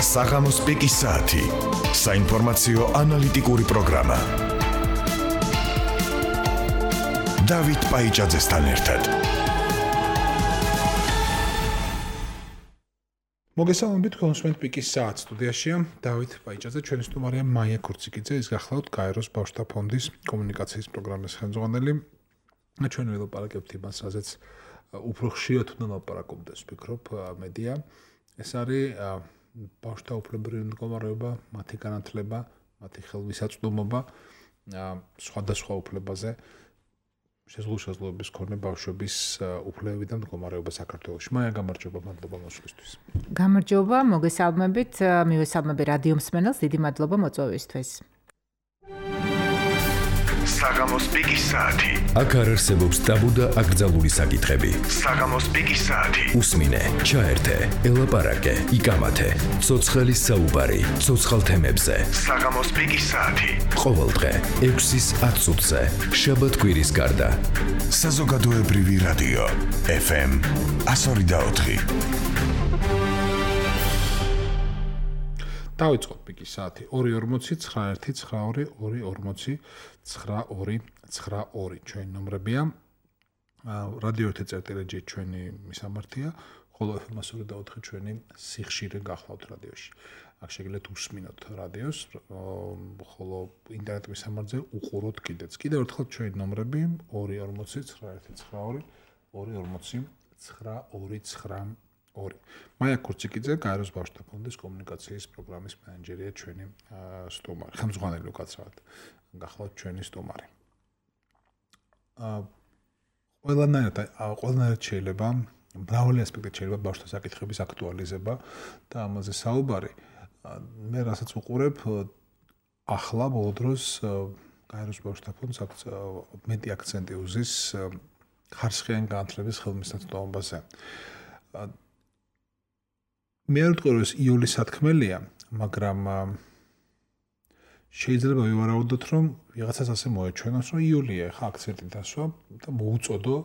საღამოს პიკის საათი. საინფორმაციო ანალიტიკური პროგრამა. დავით პაიჭაძესთან ერთად. მოგესალმებით, კონსუმენტ პიკის საათი სტუდიაშია დავით პაიჭაძე, ჩვენი სტუმარია მაია ქურციკიძე, ის გახლავთ გაეროს ბავშვთა ფონდის კომუნიკაციის პროგრამის ხელმძღვანელი. ჩვენ ვილაპარაკებთ იმას, რაზეც უფრო ხშირად უნდა ლაპარაკობდეს, ვფიქრობ, მედია. ეს არის ბავშვთა უფლებრივი მდგომარეობა, მათი განათლება, მათი ხელმისაწვდომობა, სხვადასხვა უფლებაზე შესაძლებლობის მქონე ბავშვების უფლებები და მდგომარეობა საქართველოში. მაია, გამარჯობა, მადლობა მოსვლისთვის. გამარჯობა, მოგესალმებით, მივესალმები რადიო მსმენელს, დიდი მადლობა მოწვევისთვის. საღამოს პიკის საათი. აქ არ არსებობს ტაბუ და აკრძალული საკითხები. საღამოს პიკის საათი. უსმინე, ჩაერთე, ელაპარაკე, იკამათე. ცოცხლის საუბარი, ცოცხალ თემებზე. საღამოს პიკის საათი. ყოველდღე 6-ის 10 წუთზე. შაბათ-კვირის გარდა. საზოგადოებრივი რადიო FM 102.4. დავიწყოთ პიკის საათი 241-92-240-242-92 ჩვენი ნომრებია. რადიო ეთერში ჩვენი მისამართია, ხოლო FM 102.4 ჩვენი სიხშირე გახლავთ რადიოში. აქ შეგიძლიათ უსმინოთ რადიოს, ხოლო ინტერნეტ მისამართზე უყუროთ კიდეც. კიდევ ერთხელ ჩვენი ნომრები 240-92-240-242-92. მაია ქურციკიძე, გაეროს ბავშვთა ფონდის კომუნიკაციის პროგრამის მენეჯერია ჩვენი სტუმარი. ხელმძღვანელი უკაცრავად გახლავთ ჩვენი სტუმარი. ყველანაირად შეიძლება, მრავალი ასპექტით შეიძლება ბავშვთა საკითხების აქტუალიზება და ამაზე საუბარი. მე რასაც უყურებ, ახლა ბოლო დროს გაეროს ბავშვთა ფონდს მეტი აქცენტი უზის ხარისხიანი განათლების ხელმისაწვდომობაზე. მე არ ვიტყვი, რომ ეს იულის სათქმელია, მაგრამ შეიძლება ვივარაუდოთ, რომ ვიღაცას ასე მოეჩვენოს, რომ იულია ხა აქცენტი დასვა და მოუწოდო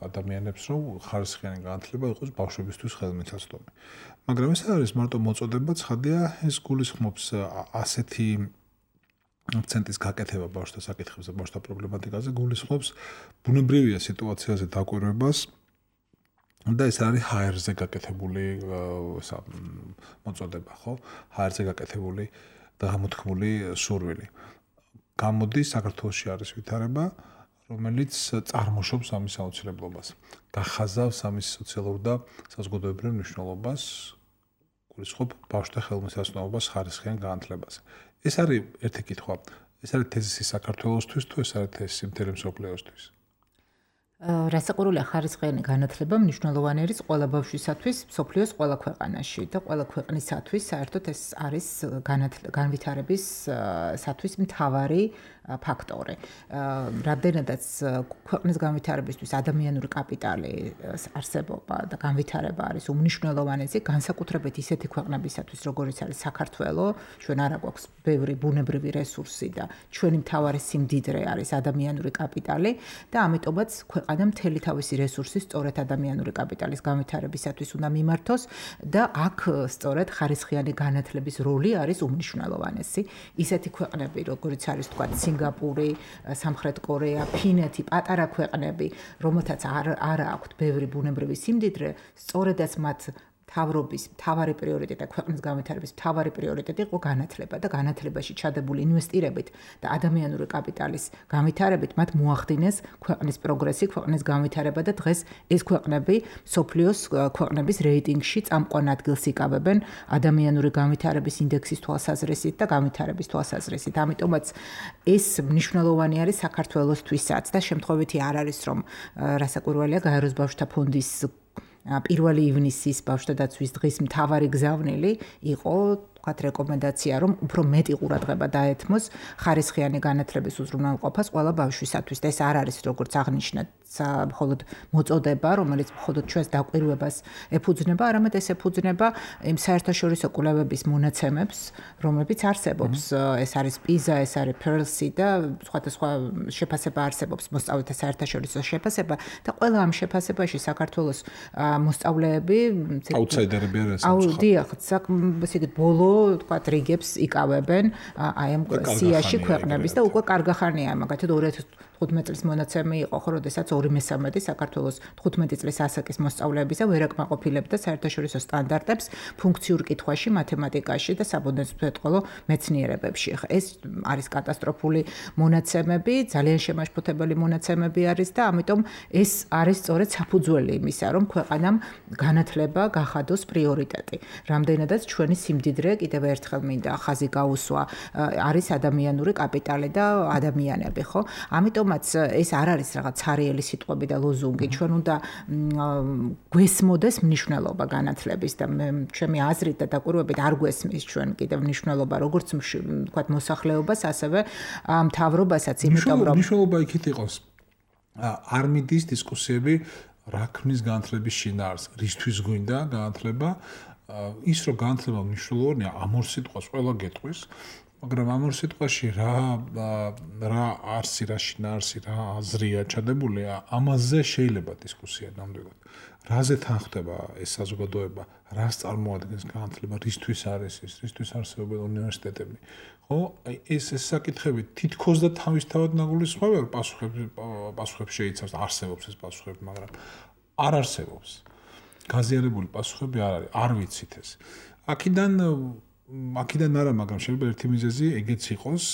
ადამიანებს, რომ ხარისხიანი განათლება იყოს ბავშვებისთვის ხელმისაწვდომი. მაგრამ ეს არის მარტო მოწოდება, ცხადია, ეს გულისხმობს ასეთი აქცენტის გაკეთება ბავშვთა საკითხებზე, ბავშვთა პრობლემატიკაზე, გულისხმობს ბუნებრივია სიტუაციაზე დაკვირვებას. და ეს არის HR-ზე გაკეთებული მოწოდება, ხო? HR-ზე გაკეთებული და გამოთქმული სურვილი. გამოდის საქართველოში არის ვითარება, რომელიც წარმოშობს ამის აუცილებლობას. გახაზავს ამის სოციალურ და საზოგადოებრივ მნიშვნელობას, გულისხმობ ბავშვთა ხელმისაწვდომობას ხარისხიან განათლებაზე. ეს არის ერთი კითხვა. ეს არის თეზისი საქართველოსთვის თუ ეს არის თეზისი მთელი მსოფლიოსთვის? რასაკვირველია, ხარისხიანი განათლება მნიშვნელოვანი არის ყველა ბავშვისათვის, მსოფლიოს ყველა ქვეყანაში და ყველა ქვეყნისათვის საერთოდ ეს არის განვითარებისათვის მთავარი ფაქტორი. რამდენადაც ქვეყნის განვითარებისთვის ადამიანური კაპიტალი არსებობა და განვითარება არის უმნიშვნელოვანესი, განსაკუთრებით ისეთი ქვეყნებისათვის, როგორიც არის საქართველო, ჩვენ არა გვაქვს ბევრი ბუნებრივი რესურსი და ჩვენი მთავარი სიმდიდრე არის ადამიანური კაპიტალი და ამიტომაც ქვეყანა მთელი თავისი რესურსი სწორედ ადამიანური კაპიტალის განვითარებისათვის უნდა მიმართოს და აქ სწორედ ხარისხიანი განათლების როლი არის უმნიშვნელოვანესი. ისეთი ქვეყნები, როგორიც არის თქვა სინგაპური, სამხრეთ კორეა, ფინეთი, პატარა ქვეყნები, რომელთაც არ აქვთ ბევრი ბუნებრივი სიმდიდრე, სწორედაც მათ მთავარი პრიორიტეტი, ქვეყნის განვითარების მთავარი პრიორიტეტი იყო განათლება და განათლებაში ჩადებული ინვესტირებით და ადამიანური კაპიტალის განვითარებით მათ მოახდინეს ქვეყნის პროგრესი, ქვეყნის განვითარება და დღეს ეს ქვეყნები მსოფლიოს ქვეყნების რეიტინგში წამყვან ადგილს იკავებენ ადამიანური განვითარების ინდექსის თვალსაზრისით და განვითარების თვალსაზრისით. ამიტომაც ეს მნიშვნელოვანი არის საქართველოსთვისაც და შემთხვევითი არ არის, რომ რასაკვირველია გაეროს ბავშვთა ფონდის 1 ივნისის ბავშვთა დაცვის დღის მთავარი გზავნილი იყო თქვათ რეკომენდაცია, რომ უფრო მეტი ყურადღება დაეთმოს ხარისხიანი განათლების უზრუნველყოფას ყველა ბავშვისათვის. და ეს არ არის, როგორც აღნიშნეთ, მხოლოდ მოწოდება, რომელიც მხოლოდ ჩვენს დაკვირვებას ეფუძნება, არამედ ეს ეფუძნება იმ საერთაშორისო კვლევების მონაცემებს, რომლებიც არსებობს. ეს არის PISA, ეს არის PIRLS და სხვადასხვა შეფასება არსებობს, მოსწავლეთა საერთაშორისო შეფასება და ყველა ამ შეფასებაში საქართველოს მოსწავლეები აუთსაიდერები არიან. დიახ, ისე იგი ბოლო, თქვათ, რიგებს იკავებენ აი ამ სიაში ქვეყნების და უკვე კარგახანია, მაგათად 2015 წლის მონაცემი იყო, ხო, როდესაც 2/3 საქართველოს 15 წლის ასაკის მოსწავლეებისა ვერ აკმაყოფილებდა საერთაშორისო სტანდარტებს ფუნქციურ კითხვაში, მათემატიკაში და საბუნებისმეტყველო მეცნიერებებში. ეს არის კატასტროფული მონაცემები, ძალიან შემაშფოთებელი მონაცემები არის და ამიტომ ეს არის სწორედ საფუძველი იმისა, რომ ქვეყანამ განათლება გახადოს პრიორიტეტი. რამდენადაც ჩვენი სიმდიდრე კიდევ ერთხელ მინდა ხაზი გაუსვა, არის ადამიანური კაპიტალი და ადამიანები, ხო? ამიტომაც ეს არ არის რაღაც ცარიელი სიტყვები და ლოზუნგი. ჩვენ უნდა გვესმოდეს მნიშვნელობა განათლების და ჩემი აზრით და დაკვირვებით არ გვესმის ჩვენ კიდევ მნიშვნელობა როგორც ვთქვათ მოსახლეობას, ასევე მთავრობასაც, იმიტომ რომ მნიშვნელობა იქით იყოს. არ მიდის დისკუსიები რა ქმნის განათლების შინაარსს, რისთვის გვინდა განათლება, ის რომ განათლება მნიშვნელოვანია, ამ ორ სიტყვას ყველა გეტყვის, მაგრამ ამ ორ სიტყვაში რა არსი, რა შინაარსი, რა აზრია ჩადებული, ამაზე შეიძლება დისკუსია ნამდვილად. რაზე თან ხდება ეს საზოგადოება, რას წარმოადგენს განათლება, რისთვის არის ის, რისთვის არსებობენ უნივერსიტეტები. ხო, ეს საკითხები თითქოს და თავისთავად ნაგულისხმება, პასუხებს შეიცავს, არსებობს ეს პასუხები, მაგრამ არ არსებობს. გაზიარებული პასუხები არ არის, არ ვიცით ეს. აქედან არა, მაგრამ შეიძლება ერთი მიზეზი ეგეც იყოს,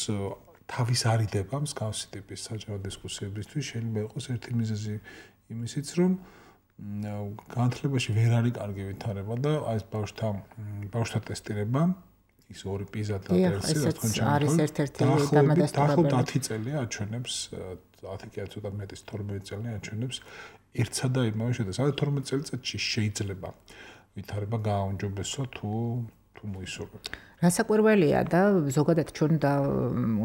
თავის არიდება მსგავსი ტიპის საჯარო დისკუსიებისთვის, შეიძლება იყოს ერთი მიზეზი იმისიც, რომ განათლებაში ვერ არის კარგი ვითარება და აი ეს ბავშვთა ტესტირება, ის ორი PISA და PIRLS, რა თქმა უნდა, არის ერთ-ერთი დამადასტურებელი. 10 წელი აჩვენებს, 10 კი არა, ცოტა მეტი 12 წელი აჩვენებს ერთსა და იმავე შედეგს. 12 წელიწადში შეიძლება ვითარება გააუმჯობესო თუ მოისურვებთ. რასაკვირველია და ზოგადად ჩვენ და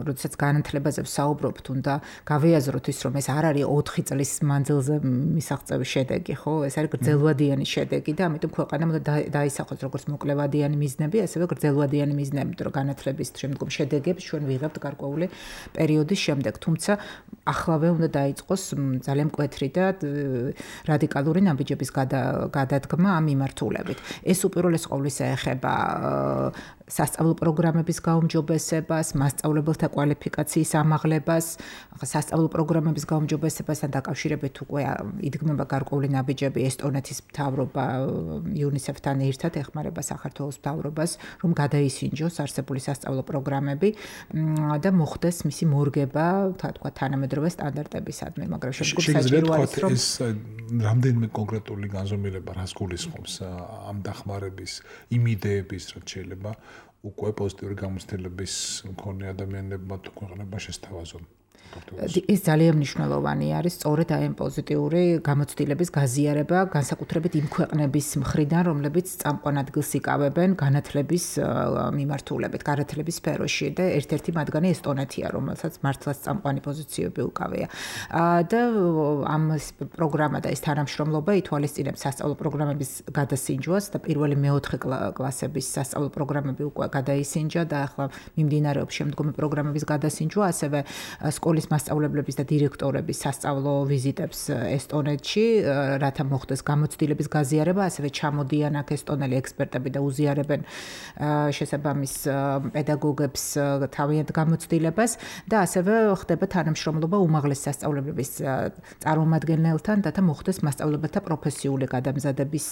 როდესაც განათლებაზე ვსაუბრობთ, უნდა გავიაზროთ ის, რომ ეს არ არის 4 წლის მანძილზე მისაღწევი შედეგი, ხო? ეს არის გრძელვადიანი შედეგი და ამიტომ ქვეყანამ უნდა დაისახოს როგორც მოკლევადიანი მიზნები, ასევე გრძელვადიანი მიზნები, რომ განათლების შემდგომ შედეგებს ჩვენ ვიღებთ გარკვეული პერიოდის შემდეგ. თუმცა ახლავე უნდა დაიწყოს ძალიან მკვეთრი და რადიკალური ნაბიჯების გადადგმა ამ მიმართულებით. ეს უპირველეს ყოვლისა ეხება სასწავლო პროგრამების გაუმჯობესებას, მასწავლებელთა კვალიფიკაციის ამაღლებას, სასწავლო პროგრამების გაუმჯობესებასთან დაკავშირებით უკვე იდგმება გარკვეული ნაბიჯები ესტონეთის მთავრობა UNICEF-თან ერთად ეხმარება საქართველოს მთავრობას, რომ გადაისინჯოს არსებული სასწავლო პროგრამები და მოხდეს მისი მორგება, თქვა თანამედროვე სტანდარტებისადმი, მაგრამ შემდგომ საჭირო არის რომ ეს რამდენიმე კონკრეტული განზომილება რას გულისხმობს ამ დახმარების, იმ იდეების, რაც შეიძლება უკვე პოზიტიური გამოცდილების მქონე ადამიანებმა თუ ქვეყნებმა შესთავაზონ. ის ძალიან მნიშვნელოვანი არის სწორედ აი ამ პოზიტიური გამოცდილების გაზიარება, განსაკუთრებით იმ ქვეყნების მხრიდან, რომლებიც წამყვან ადგილს იკავებენ განათლების მიმართულებით, განათლების სფეროში და ერთ-ერთი მათგანი ესტონეთია, რომელსაც მართლაც წამყვანი პოზიციები უკავია. და ამ პროგრამა და ეს თანამშრომლობა ითვალისწინებს სასწავლო პროგრამების გადასინჯვას და პირველი მეოთხე კლასების სასწავლო პროგრამები უკვე გადაისინჯა და ახლა მიმდინარეობს შემდგომი პროგრამების გადასინჯვა, ასევე სკოლის მასწავლებლების და დირექტორების სასწავლო ვიზიტებს ესტონეთში, რათა მოხდეს გამოცდილების გაზიარება, ასევე ჩამოდიან აქ ესტონელი ექსპერტები და უზიარებენ შესაბამის პედაგოგებს თავიანთ გამოცდილებას და ასევე ხდება თანამშრომლობა უმაღლეს სასწავლებლების წარმომადგენელთან, რათა მოხდეს მასწავლებელთა პროფესიული გადამზადების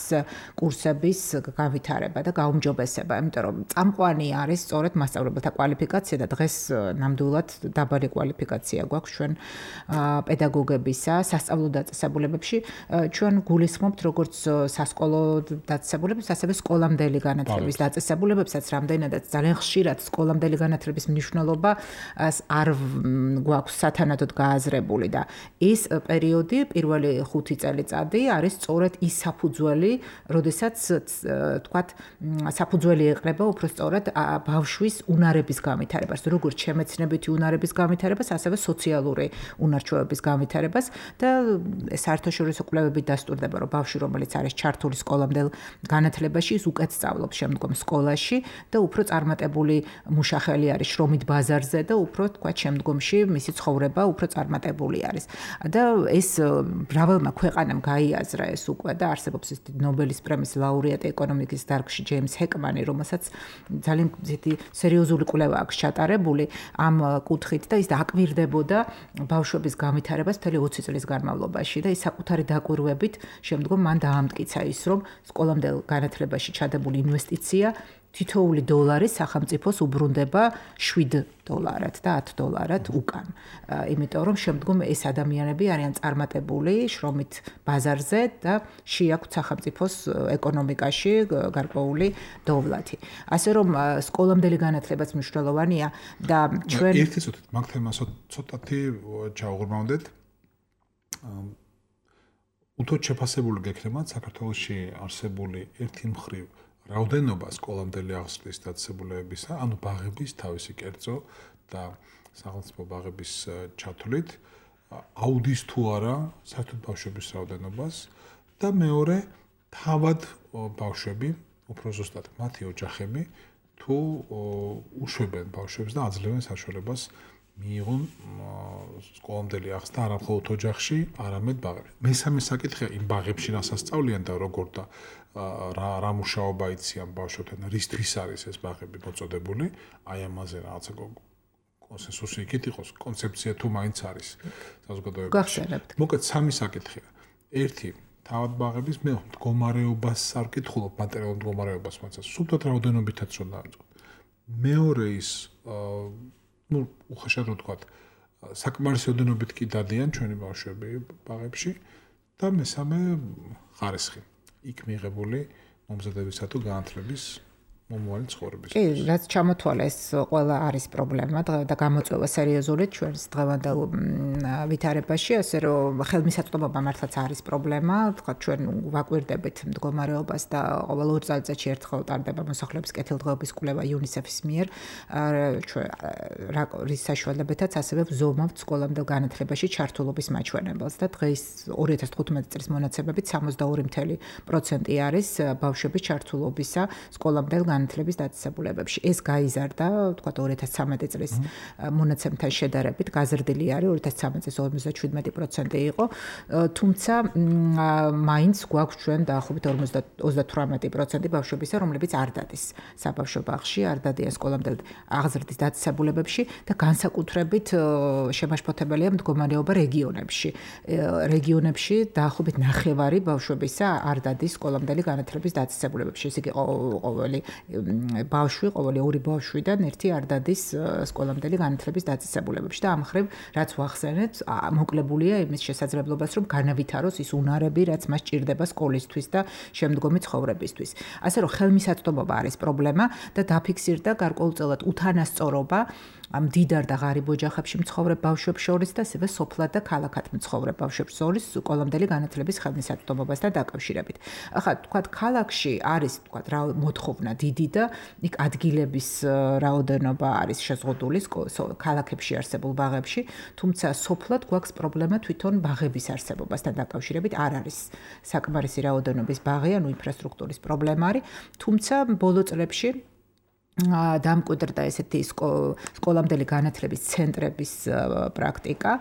კურსების გავითარება და გაუმჯობესება, იმიტომ რომ წამყვანი არის სწორედ მასწავლებელთა კვალიფიკაცია და დღეს ნამდვილად დაბალი კვალიფიკაცია გვაქვს ჩვენ პედაგოგებისა სასწავლო დაწესებულებებში. ჩვენ გულისხმობთ როგორც სასკოლო დაწესებულებებს, ასევე სკოლამდელი განათლების დაწესებულებებსაც, რამდენადაც ძალიან ხშირად სკოლამდელი განათლების მნიშვნელობა არ გვაქვს სათანადოდ გააზრებული და ის პერიოდი, პირველი 5 წელიწადი არის სწორედ ის საფუძველი, როდესაც თქვათ საფუძველი ეყრება უფრო სწორად ბავშვის უნარების განვითარებას, როგორც შემეცნებითი უნარების განვითარებას, ასევე ასევე სოციალური უნარჩვევების განვითარებას და საერთაშორისო კვლევებით დასტურდება, რომ ბავშვი, რომელიც არის ჩართული სკოლამდელ განათლებაში, ის უკეთ სწავლობს შემდგომ სკოლაში და უფრო წარმატებული მუშახელი არის შრომით ბაზარზე და უფრო თქვა შემდგომში მისი ცხოვრება უფრო წარმატებული არის. და ეს მრავალმა ქვეყანამ გაიაზრა ეს უკვე და არსებობს ის ნობელის პრემიის ლაურეატი ეკონომიკის დარგში ჯეიმს ჰეკმანი, რომელსაც ძალიან სერიოზული კვლევა აქვს ჩატარებული ამ კუთხით და ის დააკვირდებოდა ბავშვების განვითარებას მთელი 20 წლის განმავლობაში და ის საკუთარი დაკვირვებით შემდგომ მან დაამტკიცა ის, რომ სკოლამდელ განათლებაში ჩადებული ინვესტიცია თითოეული დოლარი სახელმწიფოს უბრუნდება $7 და $10 უკან. იმიტომ რომ შემდგომ ეს ადამიანები არიან წარმატებული შრომით ბაზარზე და შეაქვთ სახელმწიფოს ეკონომიკაში გარკვეული დოვლათი. ასე რომ სკოლამდელი განათლებაც მნიშვნელოვანია და ჩვენ ერთი წუთით მაგ თემას ცოტათი ჩავღრმავდეთ. უთო შეფასებული გექნებათ საქართველოში არსებული ერთი მხრივ რაოდენობა სკოლამდელი აღზრდის დაწესებულებებისა, ანუ ბაღების თავისი კერძო და სახელმწიფო ბაღების ჩათვლით აუდის თუ არა საერთოდ ბავშვების რაოდენობას და მეორე თავად ბავშვები, უფრო ზუსტად მათი ოჯახები თუ უშვებენ ბავშვებს და აძლევენ საშუალებას მიიღონ სკოლამდელი აღზრდა არა მხოლოდ ოჯახში, არამედ ბაღებში. მესამე საკითხია იმ ბაღებში რასაც სწავლიან და როგორ და რა მუშაობა იციან ბავშვებთან, რისთვის არის ეს ბაღები მოწოდებული, აი ამაზე რაღაცა კონსენსუსი იქით იყოს, კონცეფცია თუ მაინც არის საზოგადოებაში. გახსენებთ. მოკლედ სამი საკითხია. ერთი თავად ბაღების, მე მდგომარეობას არ ვკითხულობ, მატერიალურ მდგომარეობას, მაგრამ სულთად რაოდენობითაც რომ დავიწყოთ. მეორე ის უხეშად რო ვთქვათ, საკმარისი რაოდენობით კი დადიან ჩვენი ბავშვები ბაღებში და მესამე ხარისხი. იქ მიღებული მომზადებისა თუ განათლების მომავალი ცხოვრების. კი, რაც ჩამოთვალა ეს ყველა არის პრობლემა და გამოწვევა სერიოზული ჩვენს დღევანდელ ვითარებაში, ასე რომ ხელმისაწვდომობა მართლაც არის პრობლემა, თქვა ჩვენ ვაკვირდებით მდგომარეობას და ყოველ 2 წელიწადში ერთხელ ტარდება მოსახლეობის კეთილდღეობის კვლევა UNICEF-ის მიერ, რის საშუალებითაც ასევე ვზომავთ სკოლამდელ განათლებაში ჩართულობის მაჩვენებელს და დღეს 2015 წლის მონაცემებით 62% არის ბავშვების ჩართულობისა სკოლამდელ განათლების დაწესებულებებში. ეს გაიზარდა, თქვა 2013 წლის მონაცემთან შედარებით, გაზრდილი არის 2013 წლის 57% იყო, თუმცა მაინც გვაქვს ჩვენ დაახლოებით 38% ბავშვებისა, რომლებიც არ დადის საბავშვო ბაღში, არ დადიან სკოლამდელ აღზრდის დაწესებულებებში და განსაკუთრებით შემაშფოთებელია მდგომარეობა რეგიონებში. რეგიონებში დაახლოებით 9/10 ბავშვებისა არ დადის სკოლამდელი განათლების დაწესებულებებში. ეს იგი ყოველი ბავშვი, ყოველი 2 ბავშვიდან 1 არ დადის სკოლამდელი განათლების დაწესებულებებში და ამ მხრივ რაც ვახსენეთ, მოკლებულია იმის შესაძლებლობას, რომ განავითაროს ის უნარები, რაც მას ჭირდება სკოლისთვის და შემდგომი ცხოვრებისთვის. ასე რომ ხელმისაწვდომობა არის პრობლემა და დაფიქსირდა გარკვეულწილად უთანასწორობა მდიდარ და ღარიბ ოჯახებში მცხოვრებ ბავშვებს შორის და ასევე სოფლად და ქალაქად მცხოვრებ ბავშვებს შორის სკოლამდელი განათლების ხელმისაწვდომობასთან დაკავშირებით. ახლა თქვათ ქალაქში არის თქვათ რა მოთხოვნა დიდი და იქ ადგილების რაოდენობა არის შეზღუდული ქალაქებში არსებულ ბაღებში, თუმცა სოფლად გვაქვს პრობლემა თვითონ ბაღების არსებობასთან დაკავშირებით არ არის საკმარისი რაოდენობის ბაღი, ანუ ინფრასტრუქტურის პრობლემა არის, თუმცა ბოლო წლებში დამკვიდრდა ესეთი სკოლამდელი განათლების ცენტრების პრაქტიკა.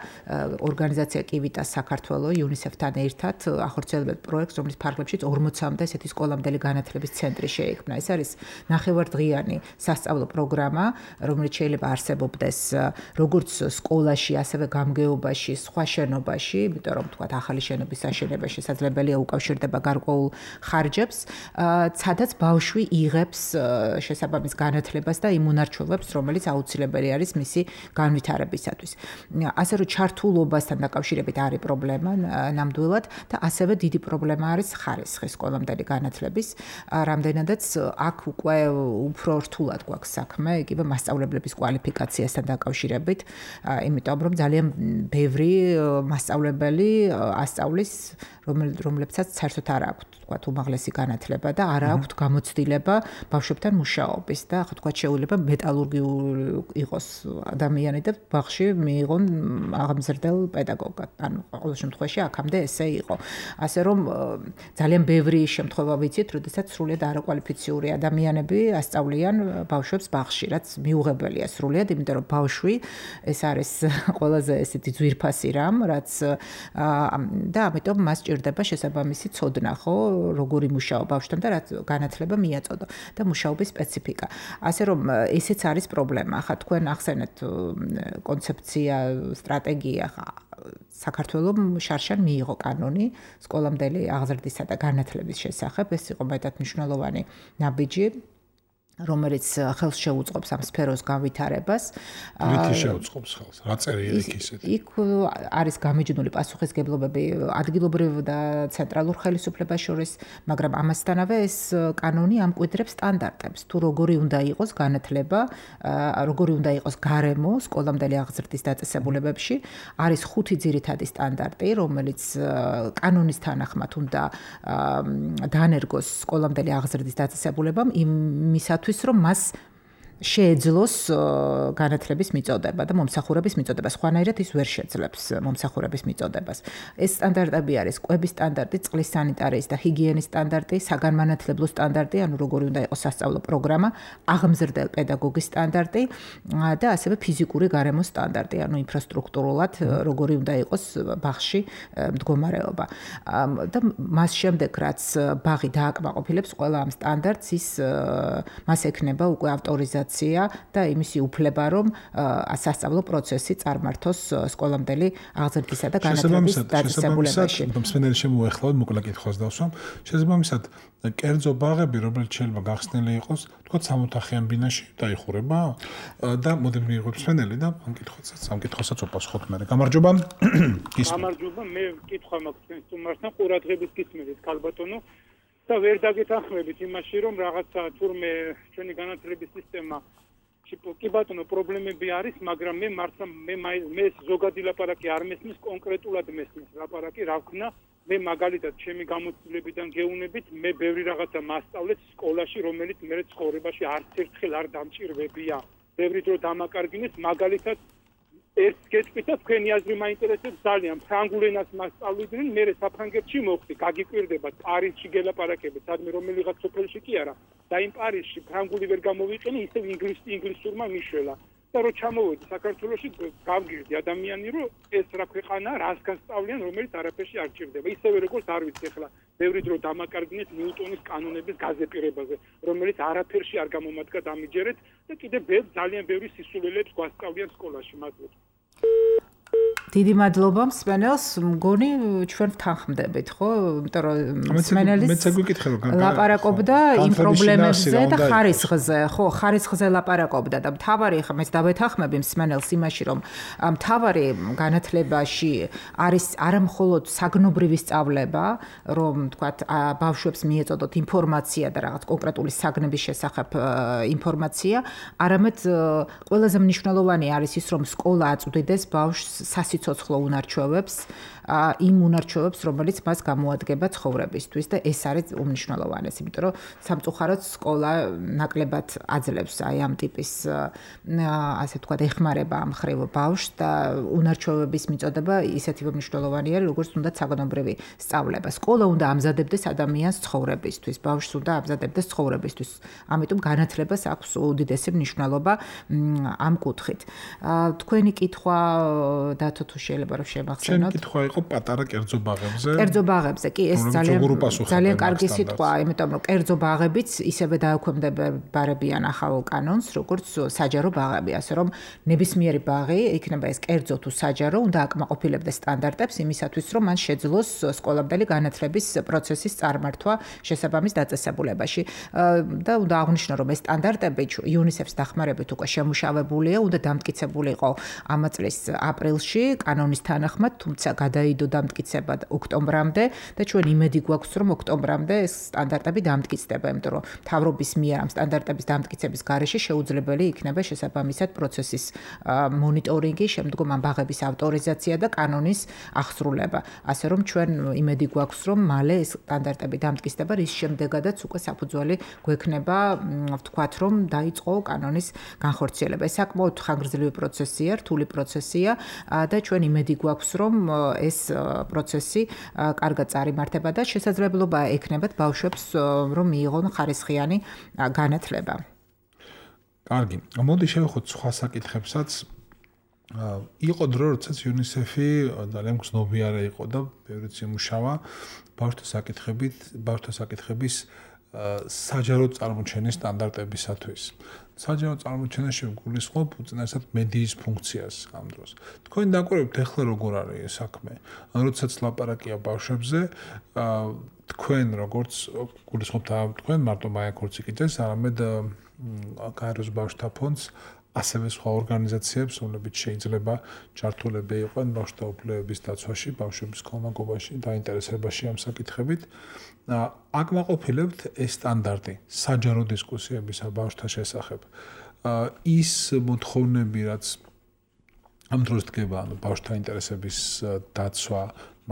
ორგანიზაცია კივიტას საქართველო UNICEF-თან ერთად ახორციელებდა პროექტს, რომლის ფარგლებშიც 40-მდე ესეთი სკოლამდელი განათლების ცენტრი შეიქმნა. ეს არის ნახევარდღიანი სასწავლო პროგრამა, რომელიც შეიძლება არსებობდეს როგორც სკოლაში, ასევე გამგეობაში, სხვა შენობაში, იმიტომ რომ თქვათ ახალი შენობის აშენება შესაძლებელია უკავშირდება გარკვეულ ხარჯებს, სადაც ბავშვი იღებს შესაბამის განათლებას და იმ უნარჩვევებს, რომელიც აუცილებელი არის მისი განვითარებისათვის. ასე რომ ჩართულობასთან დაკავშირებით არის პრობლემა ნამდვილად და ასევე დიდი პრობლემა არის ხარისხი სკოლამდელი განათლების. რამდენადაც აქ უკვე უფრო რთულად გვაქვს საქმე, იგივე მასწავლებლების კვალიფიკაციასთან დაკავშირებით, იმიტომ რომ ძალიან ბევრი მასწავლებელი ასწავლის, რომლებსაც საერთოდ არ აქვთ თქვათ უმაღლესი განათლება და არ აქვთ გამოცდილება ბავშვებთან მუშაობის და ხო თქვათ შეუძლება მეტალურგიული იყოს ადამიანი და ბაღში მიიღონ აღმზრდელ პედაგოგად. ანუ ყოველ შემთხვევაში აქამდე ესე იყო. ასე რომ ძალიან ბევრი შემთხვევა ვიცით, როდესაც სრულიად არაკვალიფიციური ადამიანები ასწავლიან ბავშვებს ბაღში, რაც მიუღებელია სრულიად, იმიტომ რომ ბავშვი ეს არის ყველაზე ესეთი ძვირფასი რამ, რაც და ამიტომ მას ჭირდება შესაბამისი ცოდნა, ხო, როგორი მუშაობა ბავშვთან და რაც განათლება მიაწოდო და მუშაობის სპეციფიკა. ასე რომ ესეც არის პრობლემა. ხა თქვენ ახსენეთ კონცეფცია, სტრატეგია, საქართველოს შარშან მიიღო კანონი სკოლამდელი აღზრდისა და განათლების შესახებ. ეს იყო მეტად მნიშვნელოვანი ნაბიჯი, რომელიც ხელს შეუწყობს ამ სფეროს განვითარებას. რითი შეუწყობს ხელს? რა წერია იქ ისეთ? იქ არის გამიჯნული პასუხისგებლობები ადგილობრივ და ცენტრალურ ხელისუფლებას შორის, მაგრამ ამასთანავე ეს კანონი ამკვიდრებს სტანდარტებს, თუ როგორი უნდა იყოს განათლება, როგორი უნდა იყოს გარემო სკოლამდელი აღზრდის დაწესებულებებში. არის 5 ძირითადი სტანდარტი, რომელიც კანონის თანახმად უნდა დაანერგოს სკოლამდელი აღზრდის დაწესებულებამ იმისათვის რომ მას შეეძლოს განათლების მიწოდება და მომსახურების მიწოდება. სხვანაირად ის ვერ შეძლებს მომსახურების მიწოდებას. ეს სტანდარტები არის კვების სტანდარტი, წყლის სანიტარიის და ჰიგიენის სტანდარტი, საგანმანათლებლო სტანდარტი, ანუ როგორი უნდა იყოს სასწავლო პროგრამა, აღმზრდელ პედაგოგის სტანდარტი და ასევე ფიზიკური გარემოს სტანდარტი, ანუ ინფრასტრუქტურულად როგორი უნდა იყოს ბაღში მდგომარეობა. და მას შემდეგ, რაც ბაღი დააკმაყოფილებს ყველა ამ სტანდარტს, ის მას ექნება უკვე ავტორიზაცია და იმისი უფლება, რომ სასწავლო პროცესი წარმართოს სკოლამდელი აღზრდისა და განათლების დაწესებულებაში. მსმენელი შემოეხლავთ, მოკლე კითხვას დავსვამ. შესაბამისად, კერძო ბაღები, რომელიც შეიძლება გახსნილი იყოს, თქო 60-ხიან ბინაში დაიხურება და მოდით მიიღოთ მსმენელი და ამ კითხვასაც უპასუხოთ მე. გამარჯობა. გამარჯობა, მე კითხვა მაქვს თქვენს სტუმართან, ყურადღებით გისმენთ, ქალბატონო. და ვერ დაგეთანხმებით იმაში, რომ რაღაცა თურმე ჩვენი განათლების სისტემა კი ბატონო პრობლემები არის, მაგრამ მე მართლა მე ზოგადი ლაპარაკი არ მესმის, კონკრეტულად მესმის ლაპარაკი, რა ვქნა, მე მაგალითად ჩემი გამოცდილებიდან გეუნებით, მე ბევრი რაღაცა მასწავლეთ სკოლაში, რომელიც მე ცხოვრებაში არც ერთხელ არ დამჭირვებია. ბევრი დრო დამაკარგინეს, მაგალითად ეს გეტყვით, თქვენი აზრი მაინტერესებს ძალიან. ფრანგულ ენას მასწავლიდნენ, მე საფრანგეთში მოხდი, გაგიკვირდება პარიზში გელაპარაკებით, სადმე რომელიღაც სოფელში კი არა. და იმ პარიზში ფრანგული ვერ გამოვიყენე, ისევ ინგლისურმა მიშველა. და რო ჩამოვედი საქართველოში, გავგირდი ადამიანი, რომ ეს რა ქვეყანა, რას გასწავლიან, რომელიც არაფერში არ ჭირდება. ისევე როგორც არ ვიცი ახლა, ბევრი დრო დამაკარგინეთ ნიუტონის კანონების გაზეპირებაზე, რომელიც არაფერში არ გამომადგა დამიჯერეთ და კიდე ძალიან ბევრი სისულელებს გვასწავლიან სკოლაში, მადლობა. დიდი მადლობა მსმენელს, მგონი ჩვენ ვთანხმდებით, ხო? იმიტომ რომ მსმენელის ლაპარაკობდა იმ პრობლემებზე და ხარისხზე, ხო, ხარისხზე ლაპარაკობდა და მთავარი ხა მეც დავეთანხმები მსმენელს იმაში, რომ მთავარი განათლებაში არის არამხოლოდ საგნობრივი სწავლება, რომ თქვათ ბავშვებს მიეწოდოთ ინფორმაცია და რაღაც კონკრეტული საგნების შესახებ ინფორმაცია, არამედ ყველაზე მნიშვნელოვანი არის ის, რომ სკოლა აწვდიდეს ბავშვს სასიცოცხლო უნარჩვევებს, იმ უნარჩვევებს, რომელიც მას გამოადგება ცხოვრებისთვის და ეს არის უმნიშვნელოვანესი, იმიტომ რომ სამწუხაროდ სკოლა ნაკლებად აძლევს აი ამ ტიპის ასე ვთქვათ ეხმარება ამ ხრივ ბავშვს და უნარჩვევების მიწოდება ისეთი მნიშვნელოვანია, როგორც უნდა საგნობრივი სწავლება. სკოლა უნდა ამზადებდეს ადამიანს ცხოვრებისთვის, ბავშვს უნდა ამზადებდეს ცხოვრებისთვის. ამიტომ განათლებას აქვს უდიდესი მნიშვნელობა ამ კუთხით. თქვენი კითხვა დათო თუ შეიძლება რომ შემახსენოთ. ჩემი კითხვა იყო პატარა კერძო ბაღებზე. კერძო ბაღებზე, კი, ეს ძალიან კარგი სიტყვაა, იმიტომ რომ კერძო ბაღებიც ისევე დაექვემდებარებიან ახალ კანონს, როგორც საჯარო ბაღები, ასე რომ ნებისმიერი ბაღი, იქნება ეს კერძო თუ საჯარო, უნდა აკმაყოფილებდეს სტანდარტებს იმისათვის, რომ მან შეძლოს სკოლამდელი განათლების პროცესის წარმართვა შესაბამის დაწესებულებაში. და უნდა აღნიშნო, რომ ეს სტანდარტები UNICEF-ის დახმარებით უკვე შემუშავებულია, უნდა დამტკიცებულიყო ამ წლის აპრილში კანონის თანახმად, თუმცა გადაიდო დამტკიცება ოქტომბრამდე და ჩვენ იმედი გვაქვს, რომ ოქტომბრამდე ეს სტანდარტები დამტკიცდება, იმიტომ რომ მთავრობის მიერ ამ სტანდარტების დამტკიცების გარეშე შეუძლებელი იქნება შესაბამისად პროცესის მონიტორინგი, შემდგომ ამ ბაღების ავტორიზაცია და კანონის აღსრულება. ასე რომ ჩვენ იმედი გვაქვს, რომ მალე ეს სტანდარტები დამტკიცდება, რის შემდეგადაც უკვე საფუძველი გვექნება ვთქვათ, რომ დაიწყო კანონის განხორციელება. ეს საკმაოდ ხანგრძლივი პროცესია, რთული პროცესია და ჩვენ იმედი გვაქვს, რომ ეს პროცესი კარგად წარიმართება და შესაძლებლობა ექნებათ ბავშვებს, რომ მიიღონ ხარისხიანი განათლება. კარგი. მოდი შევეხოთ სხვა საკითხებსაც. იყო დრო, როდესაც UNICEF-ი ძალიან გრძნობიარე იყო და ბევრიც იმუშავა ბავშვთა საკითხების საჯარო წარმოჩენის სტანდარტებისათვის. საჯარო წარმოჩენაში გულისხმობ უწინარესად მედიის ფუნქციას ამ დროს. თქვენ დაკვირვებთ ახლა როგორ არის ეს საქმე? როდესაც ლაპარაკია ბავშვებზე, თქვენ როგორც გულისხმობთ თქვენ მარტო მაია ქორციკიძეს, არამედ გაეროს ბავშვთა ფონდს ასევე სხვა ორგანიზაციებს, რომლებიც შეიძლება ჩართულები იყვნენ ბავშვთა უფლებების დაცვაში, ბავშვების ქონაგობაში, დაინტერესებაში ამ საკითხებით. აკმაყოფილებთ ეს სტანდარტი საჯარო დისკუსიებისა ბავშვთა შესახებ. ის მოთხოვნები, რაც ამ დროს დგება, ბავშვთა ინტერესების დაცვა,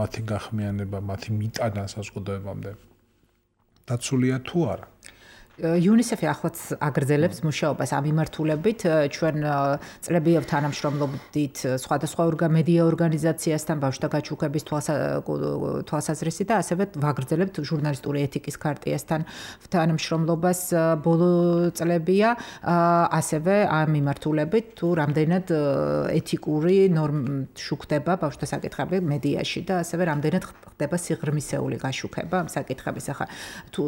მათი გახმიანება, მათი მიტანა საზოგადოებამდე დაცულია თუ არა? UNICEF-ი ახლაც აგრძელებს მუშაობას ამ მიმართულებით. ჩვენ წლებია თანამშრომლობდით სხვადასხვა მედია ორგანიზაციასთან, ბავშვთა გაჩუქების თვალსაზრისით და ასევე ვაგრძელებთ ჟურნალისტური ეთიკის ქარტიასთან თანამშრომლობას ბოლო წლებია. ასევე ამ მიმართულებით თუ რამდენად ეთიკური შუქდება ბავშვთა საკითხები მედიაში და ასევე რამდენად ხდება სიღრმისეული გაშუქება ამ საკითხების. ახლა თუ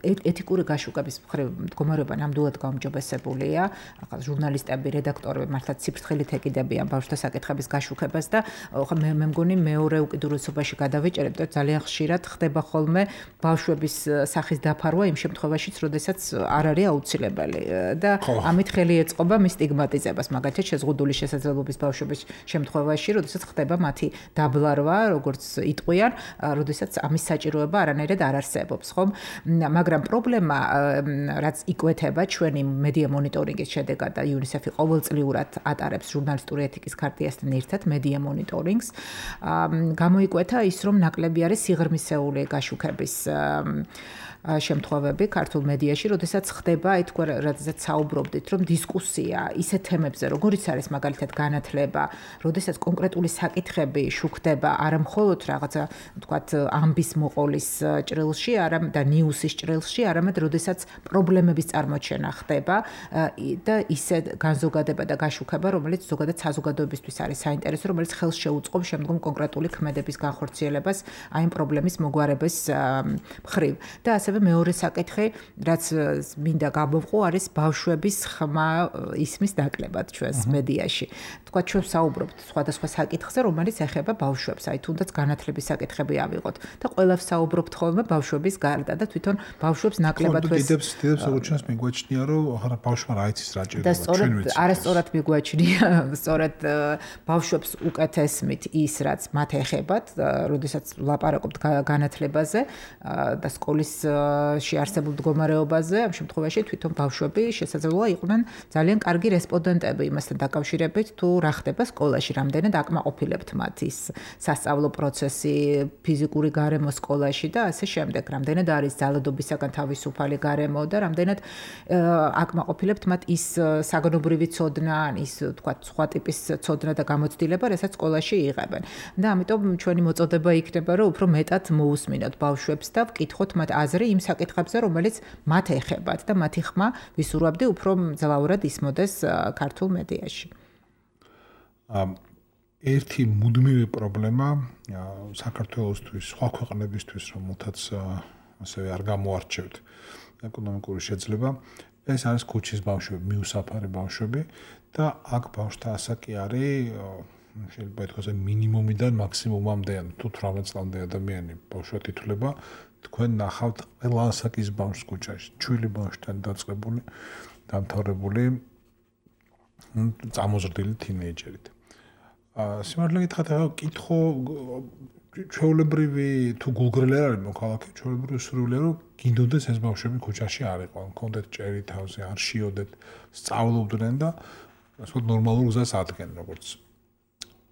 ეთიკური გაშუქების მდგომარეობა ნამდვილად გაუმჯობესებულია. ახლა ჟურნალისტები, რედაქტორები მართლა ციფრთხილით ეკიდებიან ბავშვთა საკითხების გაშუქებას და მე მგონი მეორე უკიდურესობაში გადავეჭერებ და ძალიან ხშირად ხდება ხოლმე ბავშვების სახის დაფარვა იმ შემთხვევაშიც, როდესაც არ არის აუცილებელი და ამით ხელი ეწყობა მის სტიგმატიზებას, მაგალითად შეზღუდული შესაძლებლობის ბავშვების შემთხვევაში, როდესაც ხდება მათი დაბლარვა, როგორც იტყვიან, როდესაც ამის საჭიროება არანაირად არ არსებობს, ხომ? მაგრამ პრობლემა რაც იკვეთება ჩვენი მედია მონიტორინგის შედეგად და UNICEF-ი ყოველწლიურად ატარებს ჟურნალისტური ეთიკის ქარტიასთან ერთად მედია მონიტორინგს. გამოიკვეთა ის, რომ ნაკლები არის სიღრმისეული გაშუქების შემთხვევები ქართულ მედიაში, როდესაც ხდება, აი თქვენ როდესაც საუბრობდით, რომ დისკუსია ისეთ თემებზე, როგორიც არის მაგალითად განათლება, როდესაც კონკრეტული საკითხები შუქდება არა მხოლოდ რაღაცა, ვთქვათ, ამბის მოყოლის ჭრილში, არამედ და ნიუსის ჭრილში, არამედ როდესაც პრობლემების წარმოჩენა ხდება და ისე განზოგადება და გაშუქება, რომელიც ზოგადად საზოგადოებისთვის არის საინტერესო, რომელიც ხელს შეუწყობს შემდგომ კონკრეტული ქმედების განხორციელებას აი ამ პრობლემის მოგვარების მხრივ. და ასევე მეორე საკითხი, რაც მინდა გამოვყო, არის ბავშვების ხმა ისმის ნაკლებად ჩვენს მედიაში. თქვათ, ჩვენ საუბრობთ სხვადასხვა საკითხზე, რომელიც ეხება ბავშვებს, აი თუნდაც განათლების საკითხები ავიღოთ და ყველას საუბრობთ ხოლმე ბავშვების გარდა და თვითონ ბავშვებს ნაკლებად დიდებს როგორც ჩვენს მიგვაჩნია, რომ ახლა ბავშვმა რა იცის რა ჭირდება, ჩვენ ვიცით. არასწორად მიგვაჩნია, სწორედ ბავშვებს უკეთესმით ის, რაც მათ ეხებათ, როდესაც ვლაპარაკობთ განათლებაზე და სკოლის შეარსებულ მდგომარეობაზე, ამ შემთხვევაში თვითონ ბავშვები შესაძლოა იყვნენ ძალიან კარგი რესპონდენტები იმასთან დაკავშირებით, თუ რა ხდება სკოლაში, რამდენად აკმაყოფილებთ მათ ის სასწავლო პროცესი, ფიზიკური გარემო სკოლაში და ასე შემდეგ, რამდენად არის ძალადობისაგან თავისუფალი გარემო და რამდენად აკმაყოფილებთ მათ ის საგნობრივი ცოდნა, ის თქვა სხვა ტიპის ცოდნა და გამოცდილება, რასაც სკოლაში იღებენ. და ამიტომ ჩვენი მოწოდება იქნება, რომ უფრო მეტად მოусმინოთ ბავშვებს და ვკითხოთ მათ აზრი იმ საკითხებზე, რომელიც მათ ეხებათ და მათი ხმა ვისურვებდი უფრო მძლავრად ისმოდეს ქართულ მედიაში. ერთი მუდმივი პრობლემა საქართველოსთვის, სხვა ქვეყნებისთვის, რომელთაც ასევე არ გამოარჩევთ ეკონომიკური შეძლება, ეს არის ქუჩის ბავშვები, მიუსაფარი ბავშვები და აქ ბავშვთა ასაკი არის შეიძლება ითქვას მინიმუმიდან მაქსიმუმამდე, თუ 18 წლამდე ადამიანი ბავშვად ითვლება, თქვენ ნახავთ ყველა ასაკის ბავშვს ქუჩაში, ჩვილი ბავშვთან დაწყებული, დამთავრებული, წამოზრდილი თინეიჯერით. სიმართლე გითხრათ, ახლა კითხო ჩვეულებრივი თუ გულგრილი არ არის მოქალაქე, ჩვეულებრივი სურვილია რომ გინდოდეს ეს ბავშვები ქუჩაში არ იყვნენ, კონდეთ ჭერი თავზე, არ შიოდეთ, სწავლობდნენ და ასე ნორმალურ გზას ადგენენ, როგორც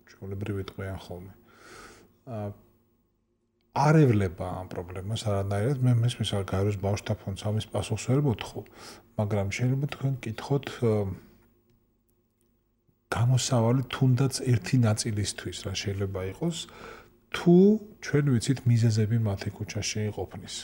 ჩვეულებრივი ტყვიან ხოლმე. არ ევლება ამ პრობლემას არანაირად, მე მესმის არ გაეროს ბავშვთა ფონდს ამის პასუხს ვერ მოთხოვ, მაგრამ შეიძლება თქვენ კითხოთ გამოსავალი თუნდაც ერთი ნაწილისთვის რა შეიძლება იყოს, თუ ჩვენ ვიცით მიზეზები მათი ქუჩაში ყოფნის.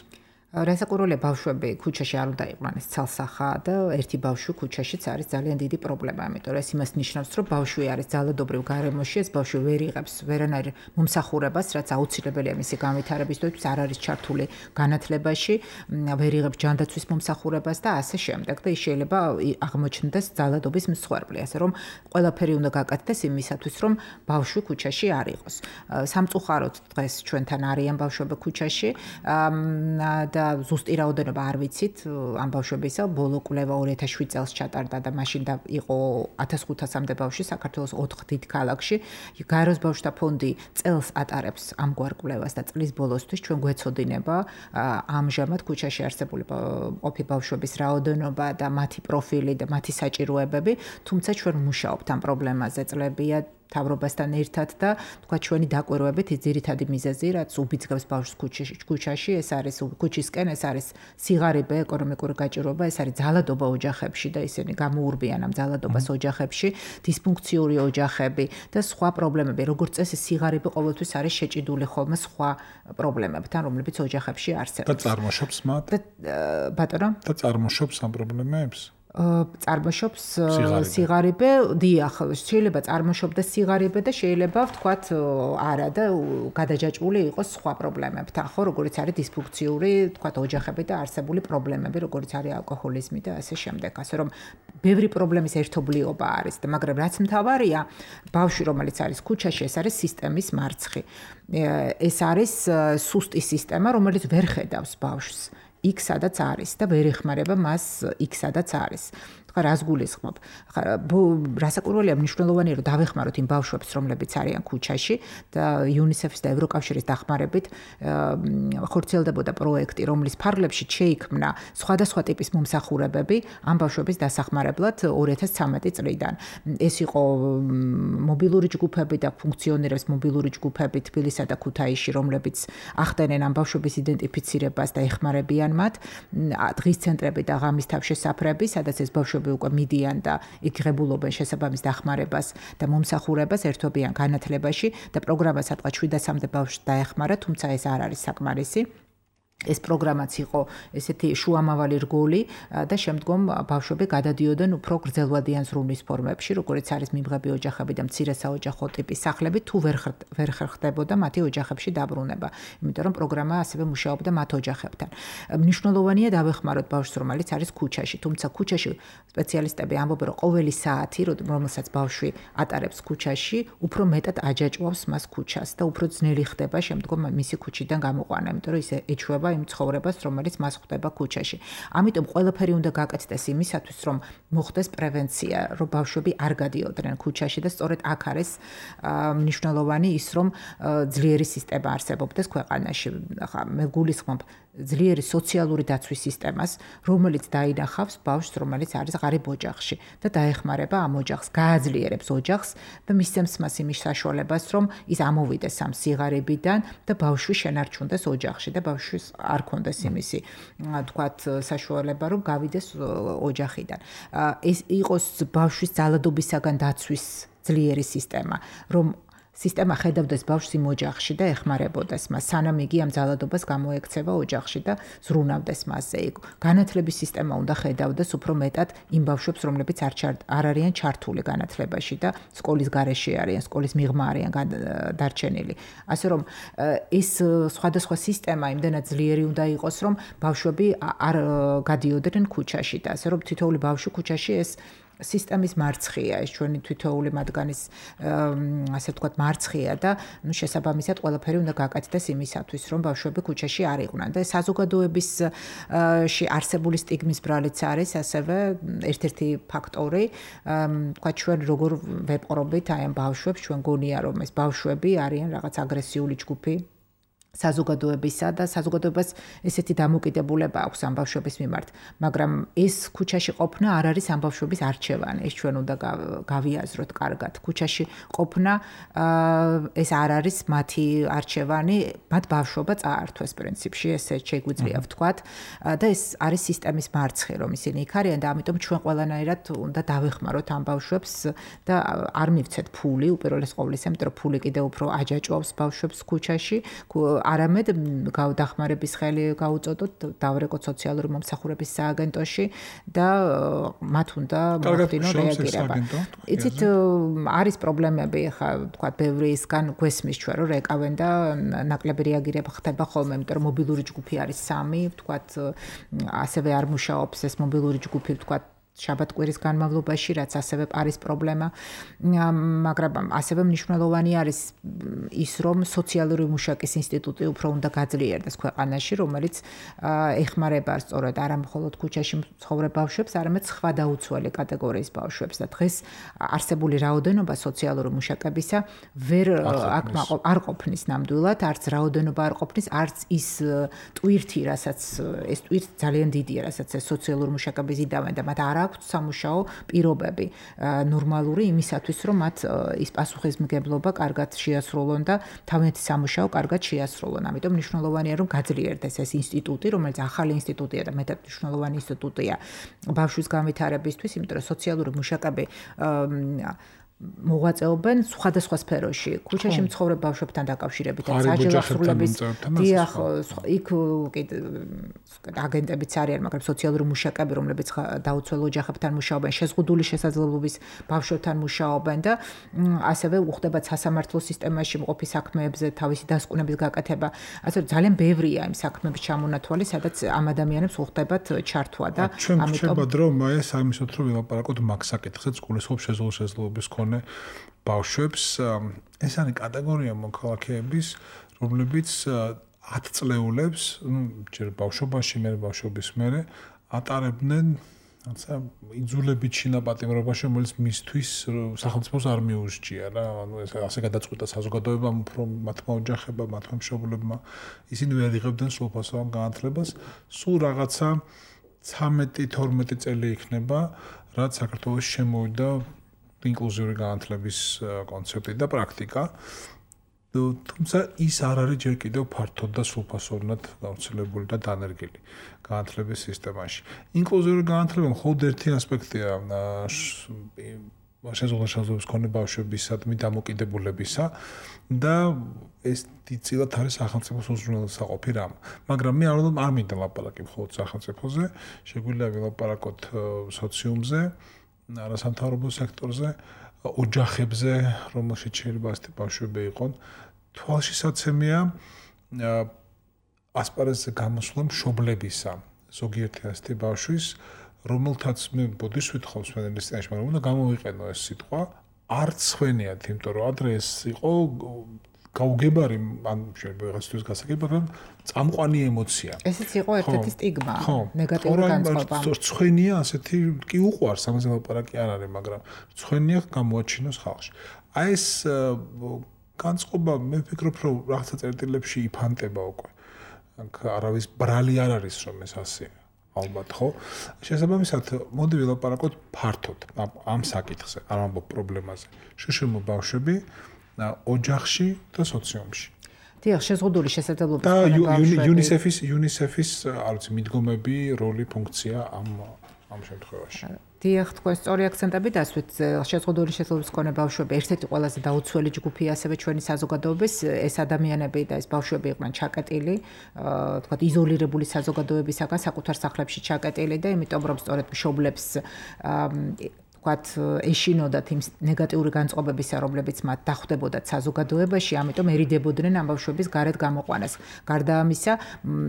რასაკვირველია ბავშვები ქუჩაში არ უნდა იყვნენ ეს ცალსახა და ერთი ბავშვი ქუჩაშიც არის ძალიან დიდი პრობლემა, იმიტომ რომ ეს იმას ნიშნავს, რომ ბავშვი არის ძალადობრივ გარემოში, ეს ბავშვი ვერ იღებს ვერანაირ მომსახურებას, რაც აუცილებელია მისი განვითარებისთვის, არ არის ჩართული განათლებაში, ვერ იღებს ჯანდაცვის მომსახურებას და ასე შემდეგ და ის შეიძლება აღმოჩნდეს ძალადობის მსხვერპლი, ასე რომ ყველაფერი უნდა გაკეთდეს იმისათვის, რომ ბავშვი ქუჩაში არ იყოს. სამწუხაროდ დღეს ჩვენთან არიან ბავშვები ქუჩაში და ზუსტი რაოდენობა არ ვიცით ამ ბავშვებისა, ბოლო კვლევა 2007 წელს ჩატარდა და მაშინ იყო 1500-მდე ბავშვი საქართველოს 4 დიდ ქალაქში. გაეროს ბავშვთა ფონდი წელს ატარებს ამგვარ კვლევას და წლის ბოლოსთვის ჩვენ გვეცოდინება ამჟამად ქუჩაში არსებული ყოფი ბავშვების რაოდენობა და მათი პროფილი და მათი საჭიროებები, თუმცა ჩვენ ვმუშაობთ ამ პრობლემაზე წლებია თავრობასთან ერთად და თქვა ჩვენი დაკვირვებით ის ძირითადი მიზეზი, რაც უბიძგებს ბავშვს ქუჩაში, ეს არის ქუჩისკენ, ეს არის სიღარიბე, ეკონომიკური გაჭირვება, ეს არის ძალადობა ოჯახებში და ისინი გამოურბიან ამ ძალადობას ოჯახებში, დისფუნქციური ოჯახები და სხვა პრობლემები, როგორც წესი სიღარიბე ყოველთვის არის შეჭიდული ხოლმე სხვა პრობლემებთან, რომლებიც ოჯახებში არსებობს. და წარმოშობს მათ? ბატონო? და წარმოშობს ამ პრობლემებს? წარმოშობს სიღარიბე, დიახ, შეიძლება წარმოშობდეს სიღარიბე და შეიძლება ვთქვათ არა და გადაჯაჭვული იყოს სხვა პრობლემებთან, ხო, როგორც არის დისფუნქციური, ვთქვათ, ოჯახები და არსებული პრობლემები, როგორც არის ალკოჰოლიზმი და ასე შემდეგ. ასე რომ ბევრი პრობლემის ერთობლიობა არის და მაგრამ რაც მთავარია, ბავშვი რომელიც არის ქუჩაში, ეს არის სისტემის მარცხი. ეს არის სუსტი სისტემა, რომელიც ვერ ხედავს ბავშვს. იქ სადაც არის და ვერ ეხმარება მას იქ სადაც არის. ხა რას გულისხმობ? ხა რასაკვირველია მნიშვნელოვანია რომ დავეხმაროთ იმ ბავშვებს, რომლებიც არიან ქუჩაში და UNICEF-ის და ევროკავშირის დახმარებით ხორციელდებოდა პროექტი, რომლის ფარგლებში შეიქმნა სხვადასხვა ტიპის მომსახურებები ამ ბავშვების დასახმარებლად 2013 წლიდან. ეს იყო მობილური ჯგუფები და ფუნქციონირებს მობილური ჯგუფები თბილისსა და ქუთაისში, რომლებიც ახდენენ ამ ბავშვების იდენტიფიცირებას და ეხმარებიან მათ. დღის ცენტრები და ღამის თავშესაფრები, სადაც ეს ბავშვები უკვე მიდიან და იღებულობენ შესაბამის დახმარებას და მომსახურებას, ერთვებიან განათლებაში და პროგრამა სადღაც 700-მდე ბავშვს დაეხმარა, თუმცა ეს არ არის საკმარისი. ეს პროგრამაც იყო ესეთი შუამავალი რგოლი და შემდგომ ბავშვები გადადიოდნენ უფრო გრძელვადიან ზრუნვის ფორმებში, როგორც არის მიმღები ოჯახები და მცირე საოჯახო ტიპის სახლები, თუ ვერ ხერხდებოდა მათი ოჯახებში დაბრუნება, იმიტომ რომ პროგრამა ასევე მუშაობდა მათ ოჯახებთან. მნიშვნელოვანია დავეხმაროთ ბავშვს, რომელიც არის ქუჩაში, თუმცა ქუჩაში სპეციალისტები ამბობენ, რომ ყოველი საათი, რომელსაც ბავშვი ატარებს ქუჩაში, უფრო მეტად აჯაჭვავს მას ქუჩას და უფრო ძნელი ხდება შემდგომ მისი ქუჩიდან გამოყვანა, იმიტომ რომ ისე ეჩვევა იმ ცხოვრებას, რომელიც მას ხვდება ქუჩაში. ამიტომ ყველაფერი უნდა გაკეთდეს იმისათვის, რომ მოხდეს პრევენცია, რომ ბავშვები არ გადიოდნენ ქუჩაში და სწორედ აქ არის მნიშვნელოვანი ის, რომ ძლიერი სისტემა არსებობდეს ქვეყანაში. ხა მე გულისხმობ ძლიერი სოციალური დაცვის სისტემას, რომელიც დაინახავს ბავშვს, რომელიც არის ღარიბ ოჯახში და დაეხმარება ამ ოჯახს, გააძლიერებს ოჯახს და მისცემს მას იმის საშუალებას, რომ ის ამოვიდეს ამ სიღარიბიდან და ბავშვი შენარჩუნდეს ოჯახში და ბავშვის არ კონდეს იმისი, თქვათ, საშუალება, რომ გავიდეს ოჯახიდან. ეს იყოს ბავშვის ძალადობისაგან დაცვის ძლიერი სისტემა, რომ სისტემა ხედავდეს ბავშვს იმ ოჯახში და ეხმარებოდეს მას, სანამ იგი ამ ძალადობას გამოექცევა ოჯახში და ზრუნავდეს მასზე. განათლების სისტემა უნდა ხედავდეს უფრო მეტად იმ ბავშვებს, რომლებიც არ არიან ჩართული განათლებაში და სკოლის გარეშე არიან, სკოლის მიღმა არიან დარჩენილი. ასე რომ ეს სხვადასხვა სისტემა იმდენად ძლიერი უნდა იყოს, რომ ბავშვები არ გადიოდნენ ქუჩაში და ასე რომ თითოეული ბავშვი ქუჩაში ეს სისტემის მარცხია, ეს ჩვენი თვითოეული მათგანის ასე ვთქვათ მარცხია და შესაბამისად ყველაფერი უნდა გაკეთდეს იმისათვის, რომ ბავშვები ქუჩაში არ იყვნენ და საზოგადოებისში არსებული სტიგმის ბრალიც არის ასევე ერთ-ერთი ფაქტორი, ვთქვათ ჩვენ როგორ ვეპყრობით აი ამ ბავშვებს, ჩვენ გონია რომ ეს ბავშვები არიან რაღაც აგრესიული ჯგუფი საზოგადოებისა და საზოგადოებას ესეთი დამოკიდებულება აქვს ამ ბავშვების მიმართ, მაგრამ ეს ქუჩაში ყოფნა არ არის ამ ბავშვების არჩევანი, ეს ჩვენ უნდა გავიაზროთ კარგად. ქუჩაში ყოფნა ეს არ არის მათი არჩევანი, მათ ბავშვობა წაართვეს პრინციპში, ესე შეგვიძლია ვთქვათ და ეს არის სისტემის მარცხი, რომ ისინი იქ არიან და ამიტომ ჩვენ ყველანაირად უნდა დავეხმაროთ ამ ბავშვებს და არ მივცეთ ფული, უპირველეს ყოვლისა, იმიტომ რომ ფული კიდევ უფრო აჯაჭვავს ბავშვებს ქუჩაში. არამედ დახმარების ხელი გაუწოდოთ, დავრეკოთ სოციალური მომსახურების სააგენტოში და მათ უნდა მოახდინონ რეაგირება. იცით, არის პრობლემები, ხა თქვა ბევრისგან გვესმის ჩვენ რომ რეკავენ და ნაკლები რეაგირება ხდება ხოლმე, იმიტომ რომ მობილური ჯგუფი არის 3, თქვა ასევე არ მუშაობს ეს მობილური ჯგუფი, თქვა შაბათ-კვირის განმავლობაში, რაც ასევე არის პრობლემა, მაგრამ ასევე მნიშვნელოვანი არის ის, რომ სოციალური მუშაკის ინსტიტუტი უფრო უნდა გაძლიერდეს ქვეყანაში, რომელიც ეხმარება სწორედ არა მხოლოდ ქუჩაში მცხოვრებ ბავშვებს, არამედ სხვა დაუცველი კატეგორიის ბავშვებს და დღეს არსებული რაოდენობა სოციალური მუშაკებისა არ ყოფნის ნამდვილად, არც რაოდენობა არ ყოფნის, არც ის ტვირთი, რასაც ეს ტვირთი ძალიან დიდია, რასაც ეს სოციალური მუშაკების იდავენ და მათ არ აქვს სამუშაო პირობები ნორმალური იმისათვის, რომ მათ ის პასუხისმგებლობა კარგად შეასრულონ და თავიანთი სამუშაო კარგად შეასრულონ. ამიტომ მნიშვნელოვანია, რომ გაძლიერდეს ეს ინსტიტუტი, რომელიც ახალი ინსტიტუტია და მეტად მნიშვნელოვანი ინსტიტუტია ბავშვის განვითარებისთვის, იმიტომ რომ სოციალური მუშაკები მოღვაწეობენ სხვადასხვა სფეროში. ქუჩაში მცხოვრებ ბავშვებთან დაკავშირებით, საჯელახსრულების დიახ, იქ აგენტებიც არიან, მაგრამ სოციალური მუშაკები, რომლებიც დაუცველ ოჯახებთან მუშაობენ, შეზღუდული შესაძლებლობის ბავშვებთან მუშაობენ და ასევე უხდება სასამართლო სისტემაში მყოფი საქმეებზე თავისი დასკვნების გაკეთება. ასე რომ ძალიან ბევრია იმ საქმეების ჩამონათვალი, სადაც ამ ადამიანებს უხდებათ ჩართვა და ამიტომ ჩვენ რომ აი სამისოთ რომ ვილაპარაკოთ მაგ საკითხზე, გულისხმობ შეზღუდული შესაძლებლობის ბავშვებს, ეს არის კატეგორია მოქალაქეების, რომლებიც 10 წლეულებს, ჯერ ბავშვობაში, მე ბავშვობის მერე ატარებდნენ, რაცა იძულებით შინაპატიმრობაში, რომელიც მისთვის სახელმწიფოს არ მიუსჯია რა, ანუ ეს ასე გადაწყვიტა საზოგადოებამ, უფრო მათმა ოჯახებმა, მათმა მშობლებმა, ისინი ვერ იღებდნენ სრულფასოვან განათლებას, სულ რაღაცა 13-12 წელი იქნება, რაც საქართველოში შემოვიდა ინკლუზიური განათლების კონცეფტი და პრაქტიკა. თუმცა ის არ არის ჯერ კიდევ ფართოდ და სრულფასოვნად გავრცელებული და დანერგილი განათლების სისტემაში. ინკლუზიური განათლება მხოლოდ ერთი ასპექტია შეზღუდული შესაძლებლობის მქონე ბავშვებისადმი დამოკიდებულებისა და ეს დიდწილად არის სახელმწიფოს უზრუნველსაყოფი რამ. მაგრამ მე არ მინდა ლაპარაკი მხოლოდ სახელმწიფოზე, შეგვიძლია ვილაპარაკოთ სოციუმზე, არასამთავრობო სექტორზე, ოჯახებზე, რომელშიც შეიძლება ასეთი ბავშვები იყონ. თვალშისაცემია ასპარეზზე გამოსვლა მშობლებისა, ზოგიერთი ასეთი ბავშვის, რომელთაც მე ბოდიშს ვითხოვს ფედერალისტიაში, მაგრამ უნდა გამოვიყენო ეს სიტყვა, არც ხვენიათ, იმიტომ რომ ადრე ეს იყო გაუგებარი, ან შეიძლება რაღაცთვის გასაგები, მაგრამ წამყვანი ემოცია. ესეც იყო ერთ-ერთი სტიგმა, ნეგატიური განწყობა. ცხენია ასეთი კი უყვარს, ამაზე ლაპარაკი არ არის, მაგრამ ცხენია გამოაჩინოს ხალხში. აი ეს განწყობა მე ვფიქრობ, რომ რაღაცა წერტილებში იფანტება უკვე. არავის ბრალი არ არის, რომ ეს ასეა. ალბათ, ხო? შესაბამისად, მოდი ვილაპარაკოთ ფართოდ ამ საკითხზე, არ ამბობ პრობლემაზე. შშმ ბავშვები ოჯახში და სოციუმში. დიახ, შეზღუდული შესაძლებლობის და UNICEF-ის არ ვიცი, მიდგომები, როლი, ფუნქცია ამ შემთხვევაში. დიახ, თქვენ სწორი აქცენტები დასვით, შეზღუდული შესაძლებლობის მქონე ბავშვები ერთ-ერთი ყველაზე დაუცველი ჯგუფია ასევე ჩვენი საზოგადოების, ეს ადამიანები და ეს ბავშვები იყვნენ ჩაკეტილი, თქვათ იზოლირებული საზოგადოებისაგან საკუთარ სახლებში ჩაკეტილი და იმიტომ რომ სწორედ მშობლებს თქვათ ეშინოდათ იმ ნეგატიური განწყობებისა, რომლებიც მათ დახვდებოდათ საზოგადოებაში, ამიტომ ერიდებოდნენ ამ ბავშვების გარეთ გამოყვანას. გარდა ამისა,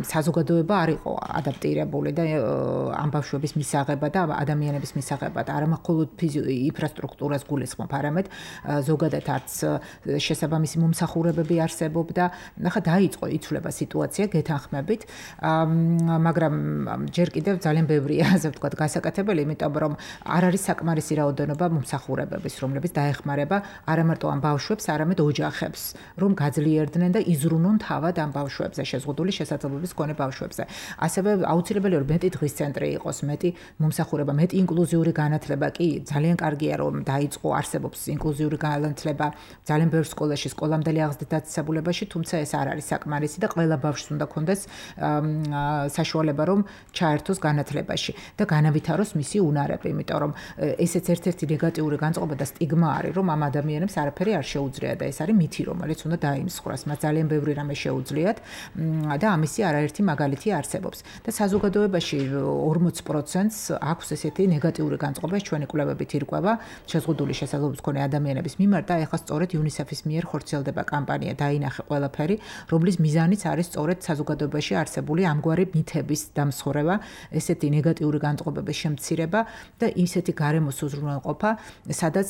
საზოგადოება არ იყო ადაპტირებული და ამ ბავშვების მისაღებად და ადამიანების მისაღებად არა მხოლოდ ინფრასტრუქტურას გულისხმობ, არამედ ზოგადად არც შესაბამისი მომსახურებები არსებობდა. ნახა დაიწყო იცვლება სიტუაცია გეთანხმებით, მაგრამ ჯერ კიდევ ძალიან ბევრია, ასე ვთქვათ, გასაკეთებელი, იმიტომ რომ არ არის საკმარისი რაოდენობა მომსახურებების, რომლებიც დაეხმარება არა მარტო ამ ბავშვებს, არამედ ოჯახებს, რომ გაძლიერდნენ და იზრუნონ თავად ამ ბავშვებზე, შეზღუდული შესაძლებლობის მქონე ბავშვებზე. ასევე აუცილებელია რომ მეტი დღის ცენტრი იყოს, მეტი მომსახურება, მეტი ინკლუზიური განათლება კი ძალიან კარგია რომ დაიწყო, არსებობს ინკლუზიური განათლება ძალიან ბევრ სკოლაში, სკოლამდელი აღზრდის დაწესებულებაში, თუმცა ეს არ არის საკმარისი და ყველა ბავშვს უნდა ქონდეს საშუალება რომ ჩაერთოს განათლებაში და განავითაროს მისი უნარები, იმიტომ რომ ესეც ერთ-ერთი ნეგატიური განწყობა და სტიგმა არის, რომ ამ ადამიანებს არაფერი არ შეუძლია და ეს არის მითი, რომელიც უნდა დაიმსხვრას. მას ძალიან ბევრი რამე შეუძლიათ და ამისი არაერთი მაგალითი არსებობს. და საზოგადოებაში 40%-ს აქვს ესეთი ნეგატიური განწყობა, ჩვენი კვლევებით ირკვევა შეზღუდული შესაძლებლობის მქონე ადამიანების მიმართ და ეხლა სწორედ UNICEF-ის მიერ ხორციელდება კამპანია დაინახე ყველაფერი, რომლის მიზანიც არის სწორედ საზოგადოებაში არსებული ამგვარი მითების დამსხვრევა, ესეთი ნეგატიური განწყობების შემცირება და ისეთი გარემოს უზრუნველყოფა, სადაც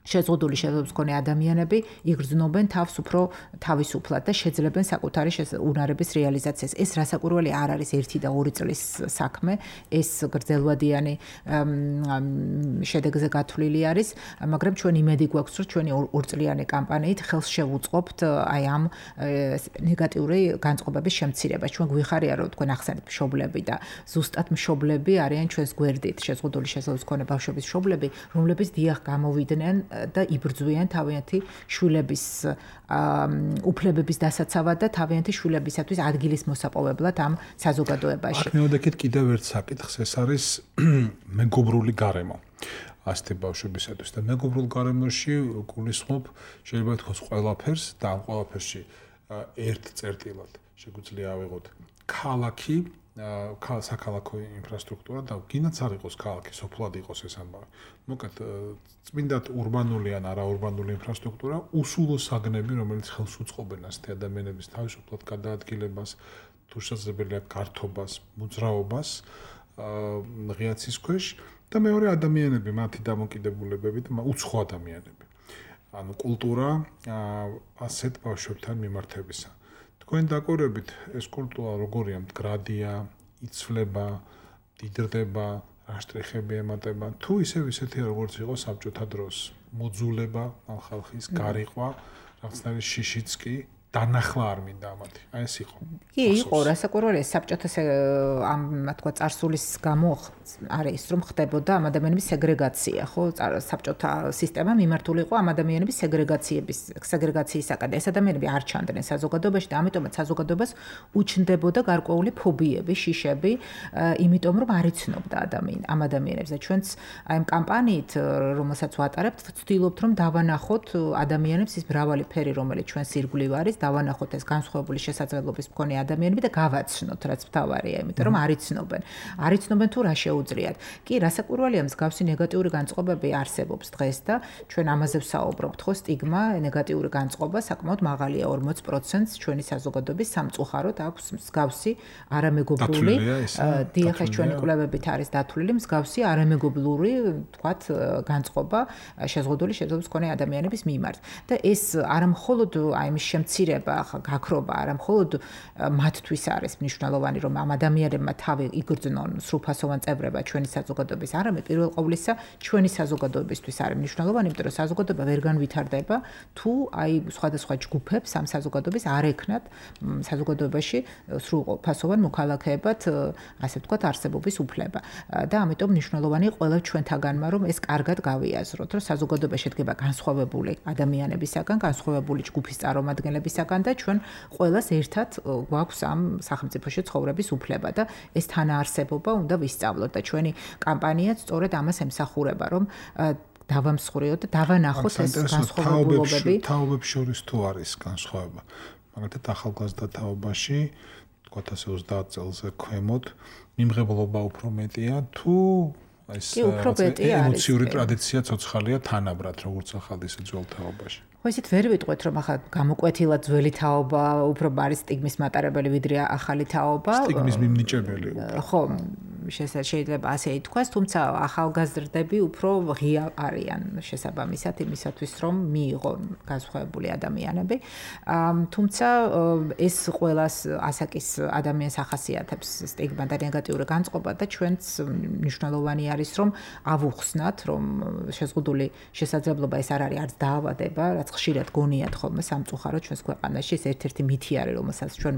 შეზღუდული შესაძლებლობის მქონე ადამიანები იგრძნობენ თავს უფრო თავისუფლად და შეძლებენ საკუთარი უნარების რეალიზაციას. ეს რასაკვირველი არ არის 1 და 2 წლის საქმე, ეს გრძელვადიანი შედეგზე გათვლილი არის, მაგრამ ჩვენ იმედი გვაქვს, რომ ჩვენი 2 წლიანი კამპანიით ხელს შევუწყობთ აი ამ ნეგატიური განწყობების შემცირებას. ჩვენ გვიხარია, რომ თქვენ ახსენეთ მშობლები და ზუსტად მშობლები არიან ჩვენს გვერდით, შეზღუდული შესაძლებლობის მქონე ბავშვების მშობლები, რომლებიც დიახ გამოვიდნენ და იბრძვიან თავიანთი შვილების უფლებების დასაცავად და თავიანთი შვილებისათვის ადგილის მოსაპოვებლად ამ საზოგადოებაში. აქ მივდექით კიდევ ერთ საკითხს, ეს არის მეგობრული გარემო. ასეთი ბავშვებისათვის და მეგობრულ გარემოში გულისხმობ შეიძლება თქოს ყველაფერს და ამ ყველაფერში ერთ წერტილად შეგვიძლია ავიღოთ ქალაქი, საქალაქო ინფრასტრუქტურა და გინდაც არ იყოს ქალაქი, სოფლად იყოს ეს ამბავი. მოკლედ წმინდად ურბანული ან არაურბანული ინფრასტრუქტურა უსულო საგნები, რომელიც ხელს უწყობენ ასეთი ადამიანების თავისუფლად გადაადგილებას, თუ შესაძლებელია გართობას, მოძრაობას ღიაცის ქვეშ და მეორე ადამიანები, მათი დამოკიდებულებები და უცხო ადამიანები. ანუ კულტურა ასეთ ბავშვებთან მიმართებისა. თქვენ დაკვირვებით ეს კულტურა როგორია, მდგრადია, იცვლება, დიდრდება, რა შტრიხები ემატება, თუ ისეთი როგორც იყო საბჭოთა დროს, მოძულება ამ ხალხის, გარიყვა, რაღაცნაირი შიშიც კი დანახლა არ მინდა ამათი. აი ეს იყო. კი, იყო რასაკვირველია საბჭოთა ამ თქვა წარსულის გამო არის რომ ხდებოდა ამ ადამიანების სეგრეგაცია, ხო? საბჭოთა სისტემა მიმართული იყო ამ ადამიანების სეგრეგაციისაკენ. ეს ადამიანები არ ჩანდნენ საზოგადოებაში და ამიტომაც საზოგადოებას უჩნდებოდა გარკვეული ფობიები, შიშები, იმიტომ რომ არ იცნობდა ამ ადამიანებს და ჩვენც აი ამ კამპანიით, რომელსაც ვატარებთ, ვცდილობთ რომ დავანახოთ ადამიანებს ის მრავალი ფერი, რომელიც ჩვენს ირგვლივ არის, დავანახოთ ეს განსხვავებული შესაძლებლობის მქონე ადამიანები და გავაცნოთ, რაც მთავარია, იმიტომ რომ არ იცნობენ თუ რა შეუძლიათ. კი, რასაკვირველია, მსგავსი ნეგატიური განწყობები არსებობს დღეს და ჩვენ ამაზე ვსაუბრობთ, ხო, სტიგმა, ნეგატიური განწყობა საკმაოდ მაღალია, 40%-ს ჩვენი საზოგადოების სამწუხაროდ აქვს მსგავსი არამეგობრული, დიახ, ჩვენი კვლევებით არის დათვლილი მსგავსი არამეგობრული, თქვათ, განწყობა შეზღუდული შესაძლებლობის მქონე ადამიანების მიმართ. და ეს არა მხოლოდ აი მის შემცირება, გაქრობა, არა მხოლოდ მათთვის არის მნიშვნელოვანი, რომ ამ ადამიანებმა თავი იგრძნონ სრულფასოვან წევრება ჩვენი საზოგადოების, არამედ პირველ ყოვლისა ჩვენი საზოგადოებისთვის არის მნიშვნელოვანი, იმიტომ რომ საზოგადოება ვერ განვითარდება, თუ აი სხვადასხვა ჯგუფებს ამ საზოგადოების არ ექნათ საზოგადოებაში სრულფასოვან მოქალაქეებად, ასე ვთქვათ, არსებობის უფლება. და ამიტომ მნიშვნელოვანია ყველა ჩვენთაგანმა, რომ ეს კარგად გავიაზროთ, რომ საზოგადოება შედგება განსხვავებული ადამიანებისაგან, განსხვავებული ჯგუფის წარმომადგენლებისაგან და ჩვენ ყველას ერთად გვაქვს ამ სახელმწიფოში ცხოვრების უფლება და ეს თანაარსებობა უნდა ვისწავლოთ და ჩვენი კამპანიაც სწორედ ამას ემსახურება, რომ დავამსხვრიოთ და დავანახოთ ეს განსხვავებულობები. თაობებს შორის თუ არის განსხვავება. მაგალითად ახალგაზრდა თაობაში, თქვათ ასე 30 წელზე ქვემოთ, მიმღებლობა უფრო მეტია თუ ეს უფრო მეტი არის. ემოციური ტრადიცია ცოცხალია თანაბრად, როგორც ახალ ისე ძველ თაობაში. ხო ისეთ ვერ ვიტყვეთ რომ ახლა გამოკვეთილად ძველი თაობა უფრო არის სტიგმის მატარებელი ვიდრე ახალი თაობა. სტიგმის მიმნიჭებელი. ხო, შეიძლება ასე ითქვას, თუმცა ახალგაზრდები უფრო ღია არიან შესაბამისად იმისათვის რომ მიიღონ განსხვავებული ადამიანები. თუმცა ეს ყველას ასაკის ადამიანს ახასიათებს სტიგმა და ნეგატიური განწყობა და ჩვენც მნიშვნელოვანი არის რომ ავუხსნათ რომ შეზღუდული შესაძლებლობა ეს არ არის არც დაავადება, რაც ხშირად გონიათ ხოლმე სამწუხაროდ ჩვენს ქვეყანაში ეს ერთ-ერთი მითი არის რომელსაც ჩვენ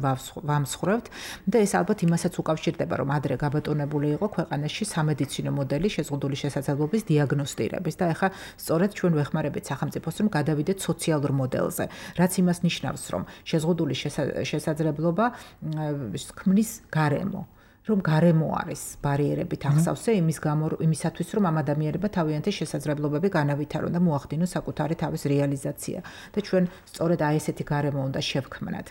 ვამსხვრევთ და ეს ალბათ იმასაც უკავშირდება რომ ადრე გაბატონებული იყო ქვეყანაში სამედიცინო მოდელი შეზღუდული შესაძლებლობის დიაგნოსტირების და ეხლა სწორედ ჩვენ ვეხმარებით სახელმწიფოს რომ გადავიდეთ სოციალურ მოდელზე რაც იმას ნიშნავს რომ შეზღუდული შესაძლებლობა ქმნის გარემო რომ გარემო არის ბარიერებით ახსავსე იმისათვის რომ ამ ადამიანებმა თავიანთი შესაძლებლობები განავითარონ და მოახდინონ საკუთარი თავის რეალიზაცია და ჩვენ სწორედ აი ესეთი გარემო უნდა შევქმნათ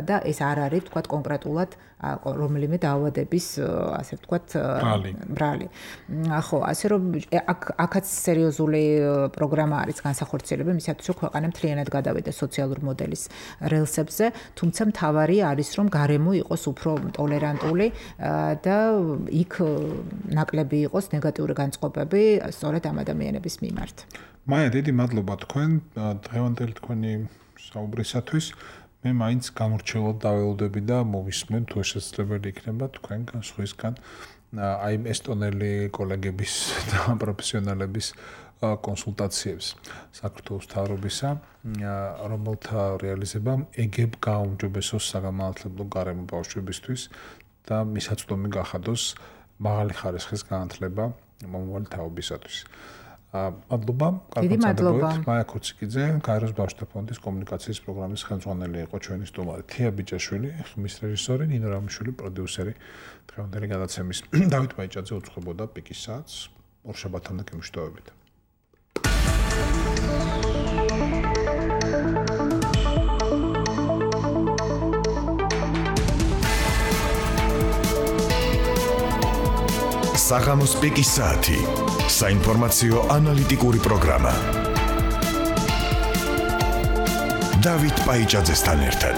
და ეს არ არის თქვათ კონკრეტულად რომელიმე დაავადების ასე ვთქვათ ბრალი. ხო, ასე რომ აქაც სერიოზული პროგრამა არის განსახორციელებელი იმისათვის რომ ქვეყანა მთლიანად გადავიდეს სოციალურ მოდელის რელსებზე, თუმცა მთავარი არის რომ გარემო იყოს უფრო ტოლერანტული და იქ ნაკლები იყოს ნეგატიური განწყობები სწორედ ამ ადამიანების მიმართ. მაია, დიდი მადლობა თქვენ დღევანდელი თქვენი საუბრისათვის. მე მაინც გამორჩეულად დაველოდები და მოვისმენ თუ შესაძლებელი იქნება თქვენგან სხვისგან აი ესტონელი კოლეგების და პროფესიონალების კონსულტაციებს საქართველოს მთავრობისა, რომელთა რეალიზებამ ეგებ გააუმჯობესოს საგამართლებლო გარემო ბავშვებისთვის და მისაწვდომი გახადოს მაღალი ხარისხის განათლება მომავალი თაობისათვის. მადლობა, კარგი მადლობა. მაია ქუციკიძე, გაეროს ბავშვთა ფონდის კომუნიკაციის პროგრამის ხელმძღვანელი იყო ჩვენი სტუმარი. თია ბიჭაშვილი, ხმის რეჟისორი, ნინო რამიშვილი, პროდიუსერი დღევანდელი გადაცემის. დავით ბაიჭაძე უძღვებოდა პიკის საათს. ორშაბათამდე გემშვიდობებით. საღამოს პიკის საათი. საინფორმაციო ანალიტიკური პროგრამა. დავით ბაიჭაძესთან ერთად.